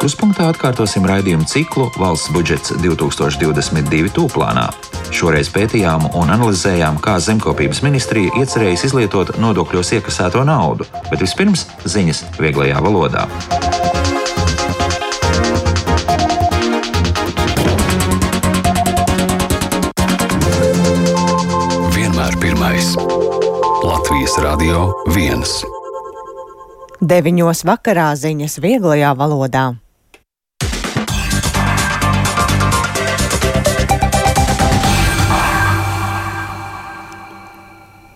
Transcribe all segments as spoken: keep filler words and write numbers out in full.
Puspunktā atkārtosim raidījumu ciklu Valsts budžets divtūkstoš divdesmit divi tūplānā. Šoreiz pētījām un analizējām, kā Zemkopības ministrija iecerējusi izlietot nodokļos iekasēto naudu, bet vispirms ziņas vieglajā valodā. Vienmēr pirmais. Latvijas Radio viens. Deviņos vakarā ziņas vieglajā valodā.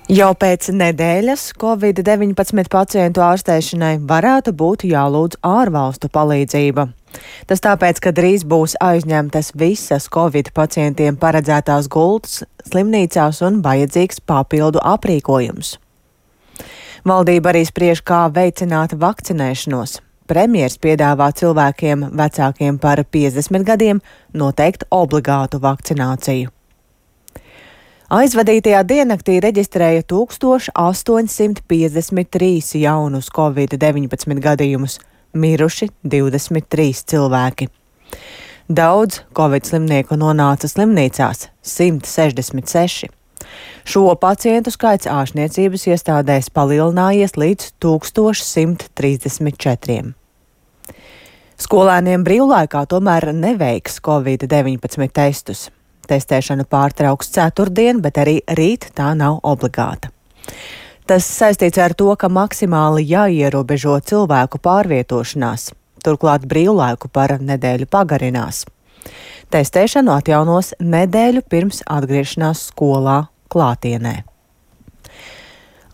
Jau pēc nedēļas covid deviņpadsmit pacientu ārstēšanai varētu būt jālūdz ārvalstu palīdzība. Tas tāpēc, ka drīz būs aizņemtas visas covid pacientiem paredzētās gultas slimnīcās un vajadzīgs papildu aprīkojums. Valdība arī spriež, kā veicināt vakcinēšanos. Premjers piedāvā cilvēkiem vecākiem par piecdesmit gadiem noteikt obligātu vakcināciju. Aizvadītajā diennaktī reģistrēja tūkstoš astoņsimt piecdesmit trīs jaunus covid deviņpadsmit gadījumus, miruši divdesmit trīs cilvēki. Daudz covid slimnieku nonāca slimnīcās – simt sešdesmit seši. Šo pacientu skaits ārstniecības iestādēs palielinājies līdz tūkstoš simt trīsdesmit četriem. Skolēniem brīvlaikā tomēr neveiks covid deviņpadsmit testus. Testēšanu pārtrauks ceturtdien, bet arī rīt tā nav obligāta. Tas saistīts ar to, ka maksimāli jāierobežo cilvēku pārvietošanās. Turklāt brīvlaiku par nedēļu pagarinās. Testēšanu atjaunos nedēļu pirms atgriešanās skolā klātienē.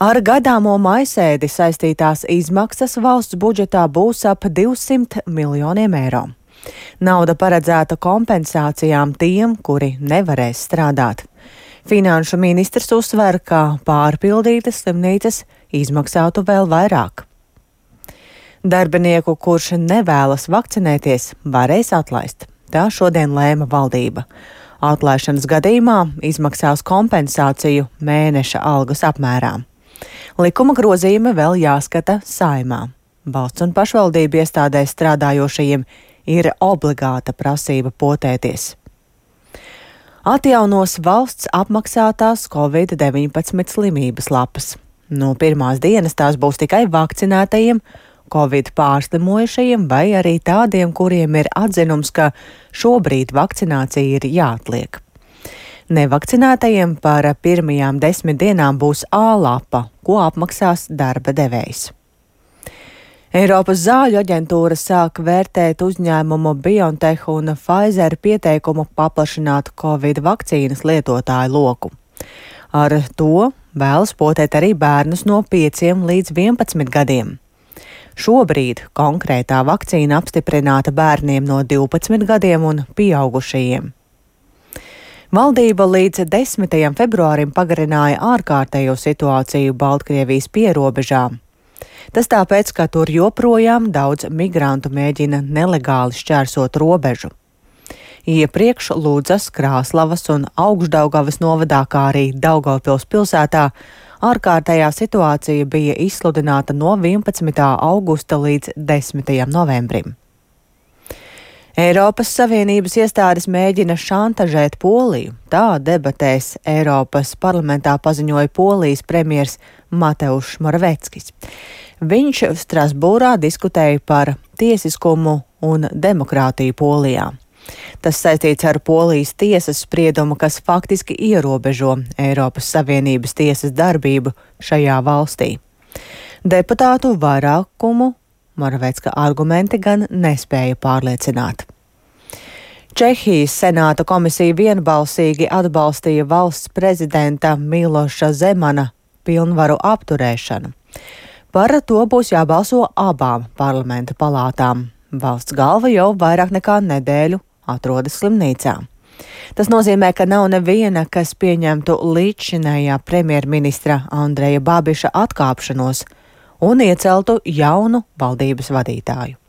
Ar gadāmo maisēdi saistītās izmaksas valsts budžetā būs ap divsimt miljoniem eiro. Nauda paredzēta kompensācijām tiem, kuri nevarēs strādāt. Finanšu ministrs uzsver, ka pārpildītas slimnīcas izmaksātu vēl vairāk. Darbinieku, kurš nevēlas vakcinēties, varēs atlaist. Tā šodien lēma valdība. Atlaišanas gadījumā izmaksās kompensāciju mēneša algas apmērā. Likuma grozījumi vēl jāskata Saeimā. Valsts un pašvaldību iestādēs strādājošajiem ir obligāta prasība potēties. Atjaunos valsts apmaksātās covid deviņpadsmit slimības lapas. No pirmās dienas tās būs tikai vakcinētajiem, covid pārslimojušajiem vai arī tādiem, kuriem ir atzinums, ka šobrīd vakcinācija ir jāatliek. Nevakcinētajiem par pirmajām desmit dienām būs A lapa, ko apmaksās darba devējs. Eiropas zāļu aģentūra sāk vērtēt uzņēmumu BioNTech un Pfizer pieteikumu paplašināt covid vakcīnas lietotāju loku. Ar to vēlas potēt arī bērnus no pieciem līdz vienpadsmit gadiem. Šobrīd konkrētā vakcīna apstiprināta bērniem no divpadsmit gadiem un pieaugušajiem. Valdība līdz desmitajam februārim pagarināja ārkārtējo situāciju Baltkrievijas pierobežā. Tas tāpēc, ka tur joprojām daudz migrantu mēģina nelegāli šķērsot robežu. Iepriekš Ludzas, Krāslavas un Augšdaugavas novadā, kā arī Daugavpils pilsētā, ārkārtējā situācija bija izsludināta no vienpadsmitā augusta līdz desmitajam novembrim. Eiropas Savienības iestādes mēģina šantažēt Poliju. Tā debatēs Eiropas parlamentā paziņoja Polijas premjers Mateušs Moraveckis. Viņš Strasbūrā diskutēja par tiesiskumu un demokrātiju Polijā. Tas saistīts ar Polijas tiesas spriedumu, kas faktiski ierobežo Eiropas Savienības tiesas darbību šajā valstī. Deputātu vairākumu Moravecka argumenti gan nespēja pārliecināt. Čehijas senāta komisija vienbalsīgi atbalstīja valsts prezidenta Miloša Zemana pilnvaru apturēšanu. Par to būs jābalso abām parlamenta palātām. Valsts galva jau vairāk nekā nedēļu atrodas slimnīcā. Tas nozīmē, ka nav neviena, kas pieņemtu līdzšinējā premjerministra Andreja Babiša atkāpšanos un ieceltu jaunu valdības vadītāju.